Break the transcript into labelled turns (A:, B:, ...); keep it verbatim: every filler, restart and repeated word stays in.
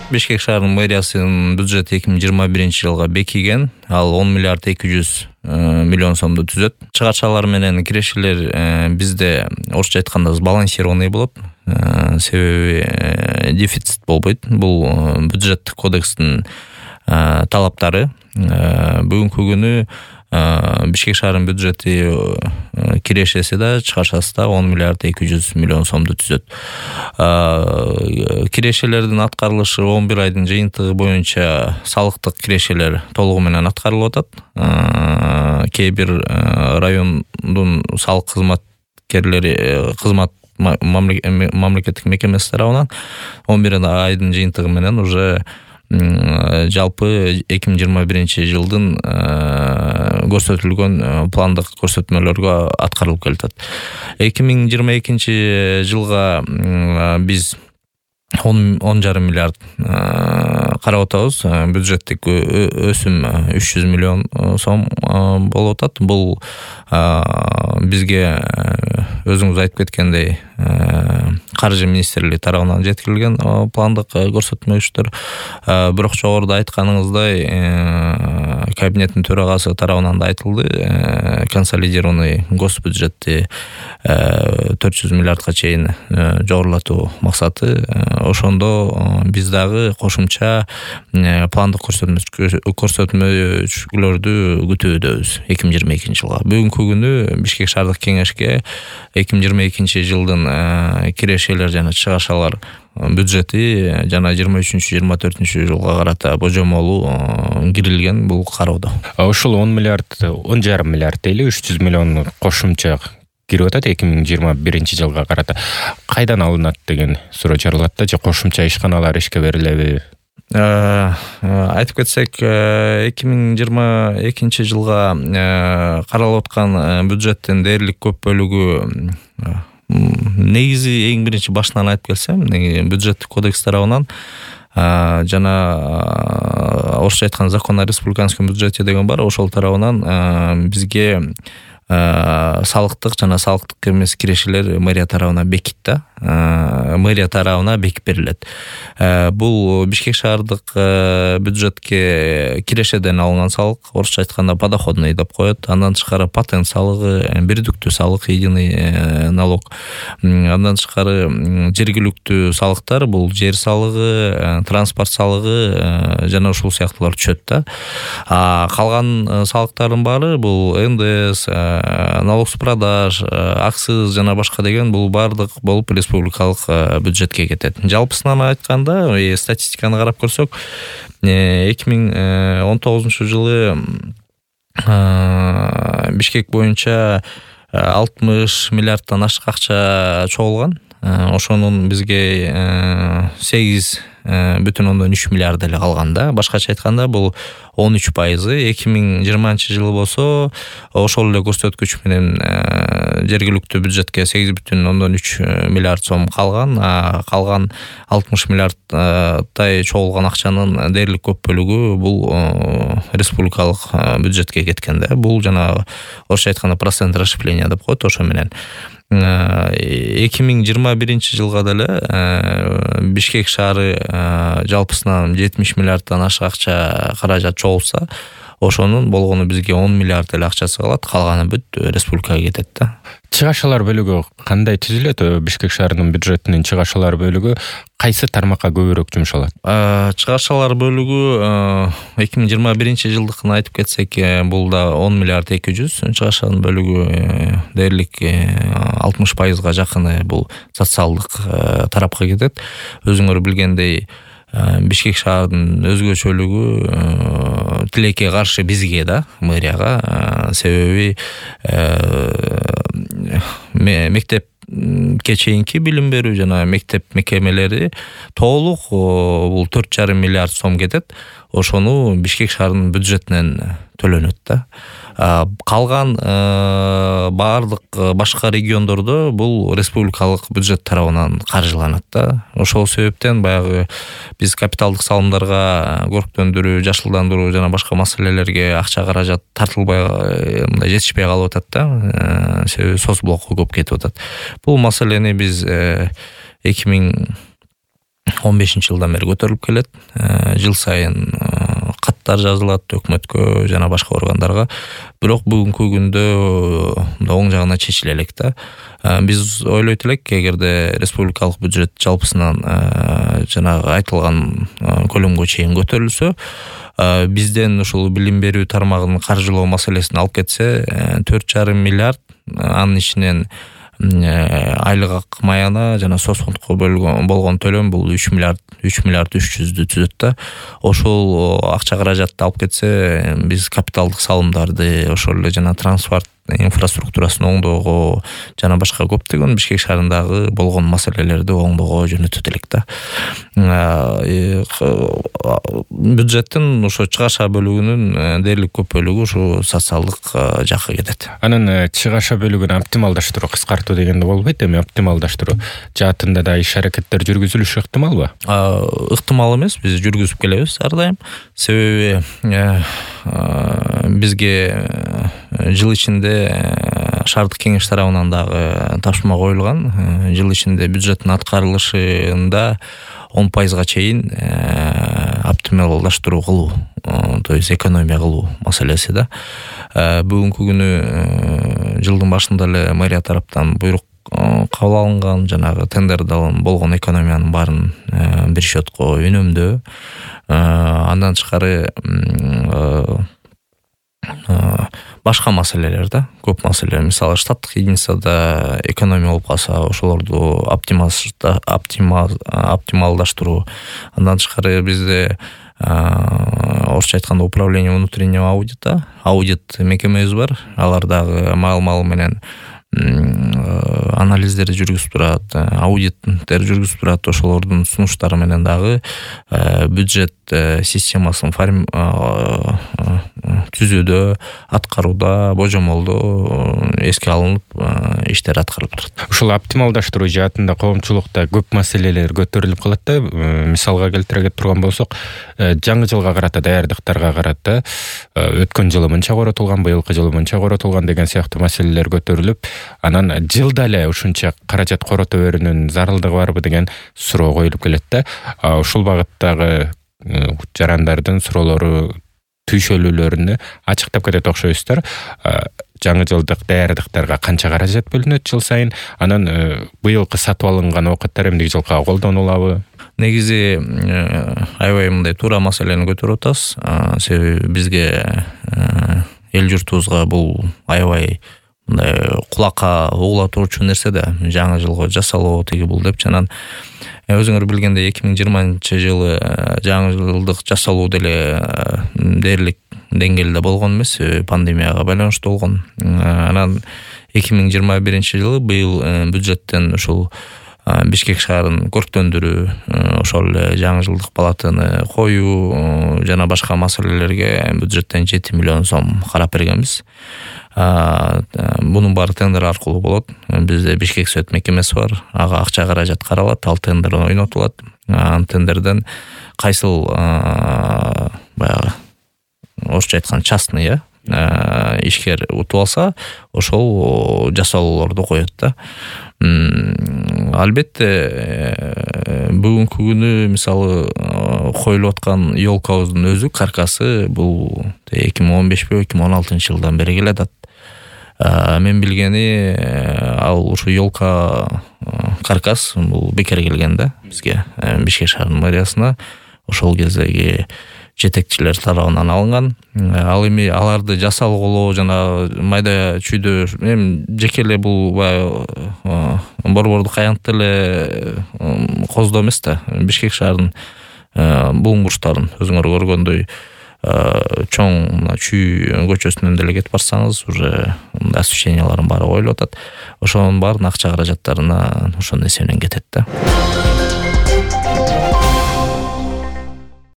A: Бишкек шаарынын мэриясынын бюджети эки миң жыйырма биринчи жылга бекиген. Ал он миллиард эки жүз миллион сомду түзөт. Чыгашалар менен кирешелер бизде орусча айтканда сбалансированный болот. Себеби дефицит болбойт. Бул бюджеттик кодекстин талаптары. Бүгүнкү күнү Бишкек шаарынын бюджети кирешеси да, чыгашасы да он миллиард эки жүз миллион сомду түзөт. Кирешелердин аткарылышы он бир айдын жыйынтыгы боюнча салыктык кирешелер толугу менен аткарылып атат. Кээ бир райондун салык кызматкерлери кызмат мамлекеттик мекемеси тарабынан он бир айдын жыйынтыгы менен уже жалпы эки миң жыйырма биринчи жылдын көрсөтүлгөн пландык көрсөтмөлөргө аткарылып келатат. эки миң жыйырма экинчи жылга биз он жарым миллиард карап атабыз. Бюджеттик өсүм үч жүз миллион сом болуп атат. Бул бизге өзүңүз айтып кеткендей каржы министрлиги тарабынан жеткирилген пландык көрсөтмөлөр. Бирок жогоруда айтканыңыздай кабинеттин төрагасы тарабынан да айтылды. Консолидированный госбюджетти төрт жүз миллиардга чейин жогорулатуу максаты. Ошондо биз дагы кошумча пландык көрсөтмөлөрдү күтүүбүз эки миң жыйырма экинчи жылга. Бүгүнкү күнү Бишкек шаардык кеңешке эки миң жыйырма экинчи жылдын кирешелер жана чыгашалар бюджети жана жыйырма үчүнчү жыйырма төртүнчү жылга карата божомолу кирилген бул кароодо.
B: Ушул он миллиард, он жарым миллиард дейли, үч жүз миллион кошумча кирип атат эки миң жыйырма биринчи жылга карата. Кайдан алынат деген суроо чыгарылат да, же кошумча ишканалар ишке берилеби?
A: Айтып кетсек, эки миң жыйырма экинчи жылга каралып аткан бюджеттин дээрлик көп бөлүгү негизи эң биринчи башынан айтып келсем, бюджеттик кодекс тарабынан жана орусча айтканда закон о республиканском бюджете деген бар, ошол тарабынан бизге салыктык жана салыктык эмес кирешелер мэрия тарабынан бекит да. Мэрия тарабына бекип берилет. Бул Бишкек шаардык бюджетке кирешеден алынган салык, орусча айтканда подоходный деп коет. Андан тышкары патент салыгы, бирдиктүү салык, единый налог. Андан тышкары жергиликтүү салыктар, бул жер салыгы, транспорт салыгы жана ушул сыяктуулар түшөт да. Калган салыктардын баары бул эн дэ эс, налог с продаж, акциз жана башка деген бул баардык болуп республикалык бюджетке кетет. Жалпысынан айтканда, статистиканы карап көрсөк, эки миң он тогузунчу жылы Бишкек боюнча алтымыш миллиардтан ашык акча чогулган. Ошонун бизге сегиз бүтүн ондон үч миллиард эле калган да. Башкача айтканда бул он үч пайызы. эки миң жыйырманчы жылы болсо ошол эле көрсөткүч менен жергиликтүү бюджетке сегиз бүтүн ондон үч миллиард сом калган. Калган алтымыш миллиардтай чогулган акчанын дээрлик көп бөлүгү бул республикалык бюджетке кеткен да. Бул жана орусча айтканда процент расширения деп коет. Ошо менен эки миң жыйырма биринчи жылга деле Бишкек шаары жалпысынан жетимиш миллиардтан ашык акча каражат чогулса, ошонун болгону бизге он миллиард эле акчасы калат, калганы бүт республикага кетет да.
B: Чыгашалар бөлүгү кандай түзүлөт? Бишкек шаарынын бюджетинин чыгашалар бөлүгү кайсы тармакка көбүрөөк жумшалат?
A: Чыгашалар бөлүгү эки миң жыйырма биринчи жылдыкын айтып кетсек, бул да он миллиард эки жүз. Чыгашанын бөлүгү дээрлик алтымыш пайызга жакыны бул социалдык тарапка кетет. Өзүңөр билгендей, Бишкек шаарынын өзгөчөлүгү тилекке каршы бизге да, мэрияга. Себеби мектепке чейинки билим берүү жана мектеп мекемелери толук бул төрт жарым миллиард сом кетет. Ошону Бишкек шаарынын бюджетинен төлөнөт да. Калган баардык башка региондордо бул республикалык бюджет тарабынан каржыланат да. Ошол себептен баягы биз капиталдык салымдарга, көрктөндүрүү, жашылдандыруу жана башка маселелерге акча каражат тартылбай, мындай жетишпей калып атат да. Себеби соцблокко көп кетип атат. Бул маселени биз эки миң он бешинчи жылдан бери көтөрүлүп келет. Жыл сайын каттар жазылат өкмөткө жана башка органдарга. Бирок бүгүнкү күндө оң жагына чечиле элек да. Биз ойлойт элек, эгерде республикалык бюджет жалпысынан жанагы айтылган көлөмгө чейин көтөрүлсө, бизден ушул билим берүү тармагын каржылоо маселесин алып кетсе, төрт жарым миллиард, анын ичинен айлык акы маяна жана соцфондко бөлгөн болгон төлөм бул үч миллиард үч миллиард үч жүздү түзөт да. Ошол акча каражатты алып кетсе, биз капиталдык салымдарды, ошол эле жана транспорт инфраструктурасын оңдоого жана башка көптөгөн Бишкек шаарындагы болгон маселелерди оңдоого жөнөтөт элек да. Бюджеттин ошо чыгаша бөлүгүнүн дээрлик көп бөлүгү ушу социалдык жакка кетет.
B: Анын чыгаша бөлүгүн оптималдаштыруу, кыскартуу дегенде болбойт, эми оптималдаштыруу жаатында да иш аракеттер жүргүзүлүшү ыктымалбы?
A: Ыктымал эмес, биз жүргүзүп келебиз ар дайым. Себеби бизге жыл ичинде шаардык кеңеш тарабынан дагы тапшырма коюлган. Жыл ичинде бюджеттин аткарылышында он пайызга чейин оптималдаштыруу кылуу, то есть экономия кылуу маселеси да. Бүгүнкү күнү жылдын башында эле мэрия тараптан буйрук кабыл алынган, жанагы тендерден болгон экономиянын баарын бир счетко үнөмдөө. Андан тышкары башка маселелер да, көп маселелер. Мисалы, штаттык единицада экономия болуп калса, ошолорду оптималдаштыруу. Андан тышкары бизде орусча айтканда управление внутреннего аудита, аудит мекемебиз бар. Алар дагы маал-маал менен анализдерди жүргүзүп турат, аудиттер жүргүзүп турат. Ошолордун сунуштары менен дагы бюджет системасын түзүүдө, аткарууда, божомолдоо эске алынып иштер аткарылып турат.
B: Ушул оптималдаштыруу жаатында коомчулукта көп маселелер көтөрүлүп калат да. Мисалга келтире турган болсок, жаңы жылга карата, даярдыктарга карата өткөн жылы мынча коротулган, быйылкы жылы мынча коротулган деген сыяктуу маселелер көтөрүлүп, анан жылда эле ушунча каражат корото берүүнүн зарылдыгы барбы деген суроо коюлуп келет да. Ушул багыттагы жарандардын суроолору, түйшөлүүлөрүнү ачыктап кетет окшойсуздар. Жаңы жылдык даярдыктарга канча каражат бөлүнөт жыл сайын? Анан быйылкы сатып алынган оокаттар эмдиги жылга колдонулабы?
A: Негизи аябай мындай туура маселени көтөрүп атасыз. Себеби бизге эл журтубузга бул аябай мындай кулакка угула турчу нерсе да. Жаңы жылга жасалуу тиги бул деп жанан өзүңөр билгендей эки миң жыйырманчы жылы жаңы жылдык жасалуу деле дээрлик деңгээлде болгон эмес, пандемияга байланыштуу болгон. Анан эки миң жыйырма биринчи жылы быйыл бюджеттен ушул Бишкек шаарын көрктөндүрүү, ошол эле жаңы жылдык палатаны коюу жана башка маселелерге бюджеттен жети миллион сом карап бергенбиз. Бунун баары тендер аркылуу болот. Бизде Бишкек сөт мекемеси бар. Ага акча каражат каралат, ал тендерден ойнотулат. Ан тендерден кайсыл баягы орусча айтканда частный ишкер утуп алса, ошол жасалуулорду коет да. Албетте бүгүнкү күнү мисалы коюлуп аткан ёлкабыздын өзү, каркасы бул эки миң он бешпи эки миң он алтынчы жылдан бери келатат. Мен билгени ал ушу ёлка каркас бул бекер келген да бизге, Бишкек шаарынын мэриясына. Ошол кездеги жетекчилер тарабынан алынган. Ал эми аларды жасалгылоо жана майда чүйдө эми жеке эле бул борбордук аянтты эле коздоо эмес да. Бишкек шаарынын булуң бурчтарын өзүңөр көргөндөй чоң чүй көчөсүнөн деле кетип барсаңыз, уже освещениялардын баары коюлуп атат. Ошонун баарын акча каражаттарына ошонун эсебинен кетет да.